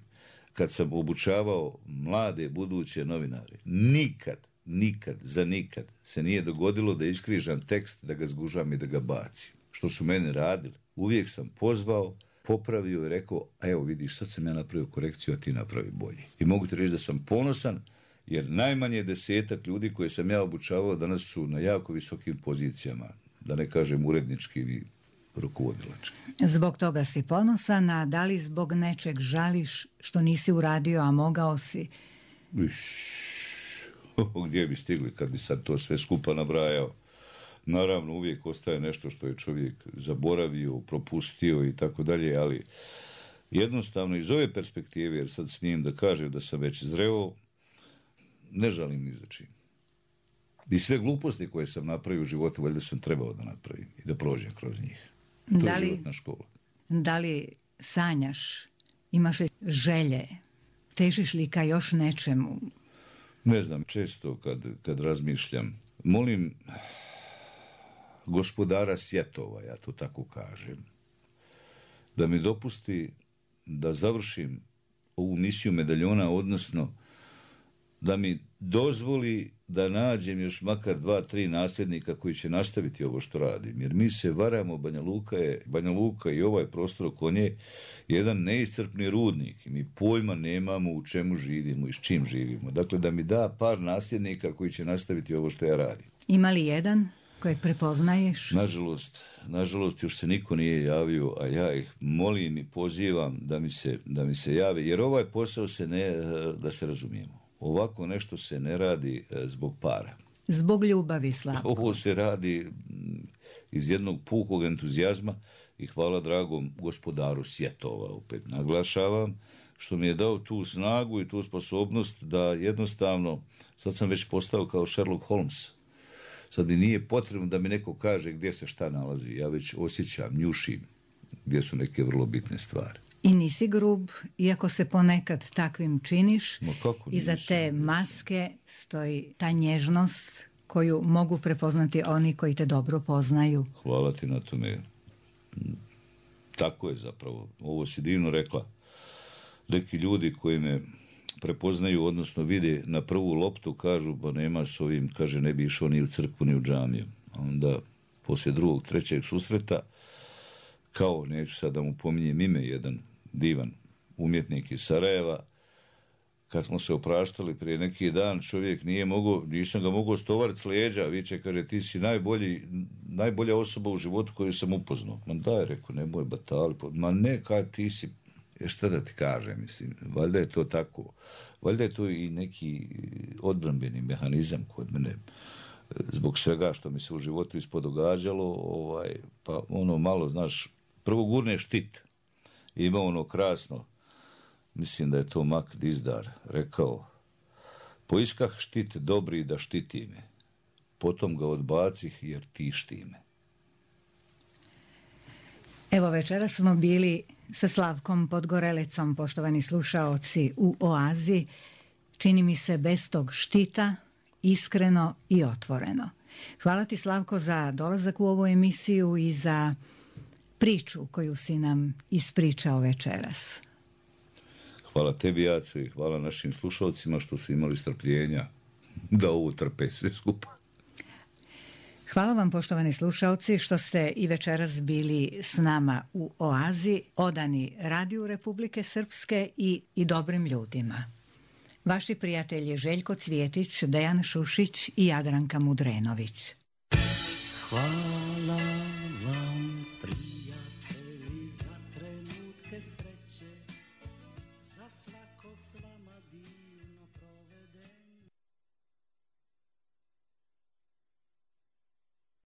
kad sam obučavao mlade buduće novinare, nikad, nikad, za nikad se nije dogodilo da iskrižam tekst, da ga zgužam i da ga bacim. Što su meni radili. Uvijek sam pozvao, popravio i rekao, a evo vidiš, sad sam ja napravio korekciju, a ti napravi bolje. I mogu ti reći da sam ponosan, jer najmanje desetak ljudi koje sam ja obučavao danas su na jako visokim pozicijama, da ne kažem urednički i rukovodilački. Zbog toga si ponosan, a da li zbog nečeg žališ što nisi uradio, a mogao si? Iš, gdje bi stigli kad bi sad to sve skupa nabrajao? Naravno, uvijek ostaje nešto što je čovjek zaboravio, propustio i tako dalje, ali jednostavno iz ove perspektive, jer sad smijem da kažem da sam već zreo, ne žalim ni za čim. I sve gluposti koje sam napravio u životu, valjda sam trebao da napravim i da prođem kroz njih. To da li, je životna škola. Da li sanjaš, imaš želje, težiš li ka još nečemu? Ne znam, često kad, kad razmišljam, molim gospodara svjetova, ja to tako kažem, da mi dopusti da završim ovu misiju medaljona, odnosno da mi dozvoli da nađem još makar dva, tri nasljednika koji će nastaviti ovo što radim. Jer mi se varamo, Banja Luka je, Banja Luka i ovaj prostor oko nje jedan neiscrpni rudnik. I mi pojma nemamo u čemu živimo i s čim živimo. Dakle, da mi da par nasljednika koji će nastaviti ovo što ja radim. Ima li jedan kojeg prepoznaješ? Nažalost, nažalost još se niko nije javio, a ja ih molim i pozivam da mi se, da mi se jave. Jer ovaj posao se ne, da se razumijemo. Ovako nešto se ne radi zbog para. Zbog ljubavi, Slavko. Ovo se radi iz jednog pukog entuzijazma i hvala dragom gospodaru svjetova, opet naglašavam, što mi je dao tu snagu i tu sposobnost da jednostavno, sad sam već postao kao Sherlock Holmes. Sad mi nije potrebno da mi neko kaže gdje se šta nalazi. Ja već osjećam, njušim gdje su neke vrlo bitne stvari. I nisi grub, iako se ponekad takvim činiš. Iza te nisam. maske stoji ta nježnost koju mogu prepoznati oni koji te dobro poznaju. Hvala ti na tome. Tako je zapravo. Ovo si divno rekla. Neki ljudi koji me prepoznaju, odnosno vide na prvu loptu, kažu, pa nema s ovim, kaže, ne bi išao ni u crkvu, ni u džamiju. A onda, poslije drugog, trećeg susreta, kao, neću sad da mu pominjem ime, jedan divan umjetnik iz Sarajeva, kad smo se opraštali prije neki dan, čovjek nije mogao, nisam ga mogao stovariti s leđa, viče, kaže, ti si najbolji, najbolja osoba u životu koju sam upoznao. Ma daj, rekao, nemoj batali, ma ne, kaj ti si, je šta da ti kažem, mislim, valjda je to tako, valjda je to i neki odbrambeni mehanizam kod mene, zbog svega što mi se u životu ispodogađalo, ovaj, pa ono malo, znaš, prvo gurne štit, ima ono krasno, mislim da je to Mak Dizdar, rekao: poiskah štit dobri da štiti me, potom ga odbacih jer tišti me. Evo, večeras smo bili sa Slavkom Podgorelecom, poštovani slušaoci, u Oazi, čini mi se bez tog štita, iskreno i otvoreno. Hvala ti, Slavko, za dolazak u ovu emisiju i za priču koju si nam ispričao večeras. Hvala tebi, Jaco, i hvala našim slušalcima što su imali strpljenja da ovo trpe sve skupa. Hvala vam, poštovani slušalci, što ste i večeras bili s nama u Oazi, odani Radiju Republike Srpske i, i dobrim ljudima. Vaši prijatelji Željko Cvjetić, Dejan Šušić i Jadranka Mudrenović. Hvala